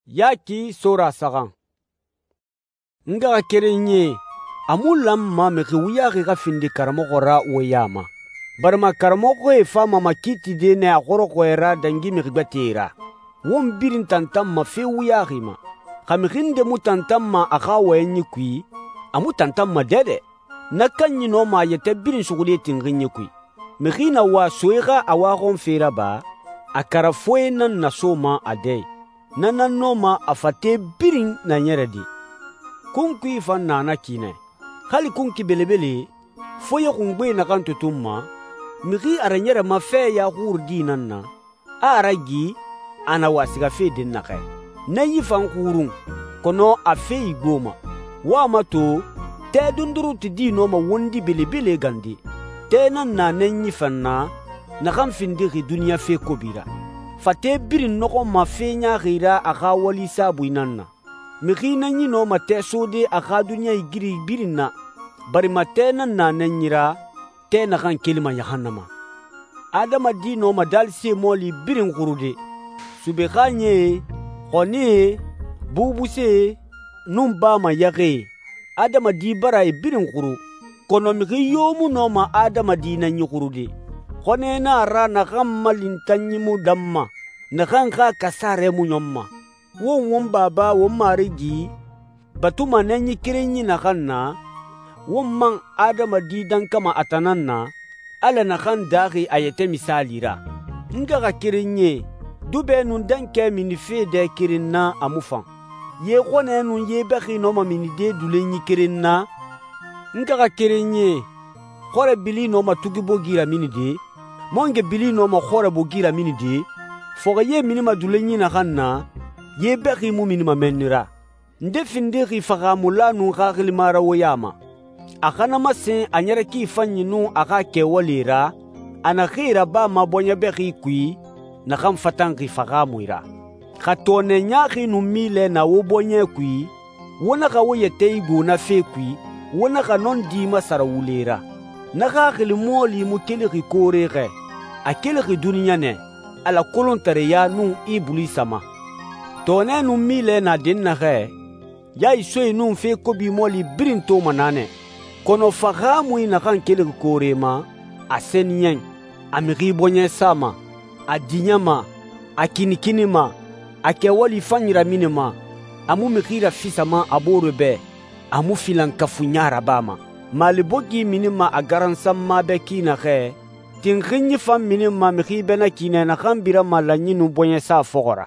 Yaki Sora saxan. N ngaxakerenyie, a mu lanma mixi wuyaxi xa findi karamɔxɔ ra wo ya ma, barima karamɔxɔe fama makiitide nɛ a xɔrɔxɔɛ ra dangi mixi gbɛtɛe ra. Won birin tantanma fe wuyaxi ma. Xa mixi nde mu tantanma a xa wɔyɛnyi kui, a mu tantanma dɛdɛ. Na kanyi nɔma a yɛtɛ birin suxude tinxinyi kui. Mixi na wa soe xa a waxɔnfe raba, a kara foye nan nasoma a dɛ i. Na nan nɔma a fate birin naɲɛrɛde. Kunkui fan na na ki nɛ. Hali kunki belebele, foye xungbe naxan tutunma, mixi a raɲɛrɛma fɛ ya xurudi nan na, a a ragi, a na wa sigafe dɛnnaxɛ. Na yi fan xurun, kɔnɔ a fe igboma. Wo a mato, tɛ dunduruti di nɔma wondi belebele gande. Tɛ nan na nɛnyi fan na, naxan findixi duniɲa fe kobi ra. Fate birin nɔxɔnma fe ɲaaxi ra a xa wali saabui nan na. Mixi nɛnyi nɔma tɛ sode a xa duniɲa igiri birin na, barima tɛ nan na nɛnyi ra, tɛ naxan kelima yahannama. Adamadi nɔma daalise mɔɔli birin xurude. Sube xaaɲɛe, xɔnɛe, bubusee, nun bama yaxɛe, adamadi bara e birin xuru, kɔnɔ mixi yo mu nɔma adamadi nɛnyi xurude. Xɔnɛ na a ra naxan malintanyi mu danma, naxan xa kasarɛ mu ɲɔnma. Won won Baba won Marigi batuma nɛnyi kerenyi naxan na, won man adamadi dankama a tan nan na, Ala naxan daaxi a yɛtɛ misaali ra. N ngaxakerenyie, dubɛ nun dankɛ minife dɛ keren na a mu fan. Ye xɔnɛ nun ye bɛxi nɔma minide dulenyi keren na. N ngaxakerenyie, xɔrɛ bili nɔma tugi bogi raminide, mɔnge bili nɔma xɔrɛ bogi raminide, fɔxɔye minima dulenyi naxan na, ye bɛxi mu minima mɛnni ra. Nde findixi faxamula nun xaxilima ra wo ya ma? A xa na masen a ɲɛrɛ fanyi nun a xa kɛwale ra, a naxee rabama bɔɲɛ bɛxi kui, naxan fatanxi faxamui ra. Xa tɔɔnɛ ɲaaxi nun milɛ na wo bɔɲɛ kui, wo naxa wo yɛtɛ igbo na fe kui, wo naxa nɔndi masara wule ra. Na xaxili mɔɔli mu kelixi koore xɛ, a kelixi duniɲa nɛ, Ala kolontareya nun Ibulisa ma. Tɔɔnɛ nun milɛ na dɛnnaxɛ, yaisoe nun fe kobi mɔɔli birin toma naanɛ. Kɔnɔ faxamui naxan kelixi koore ma, a sɛniyɛn, a mixi bɔɲɛ sama, a diɲɛma, a kinikinima, a kɛwali fanyi raminima, a mu mixi rafisama a boore bɛ, a mu filankafuɲa rabama. Maali bogi minima a garansanma bɛ ki naxɛ, tinxinyi fan minima mixi bɛ na ki nɛ naxan birama lanyi nun bɔɲɛsa fɔxɔ ra.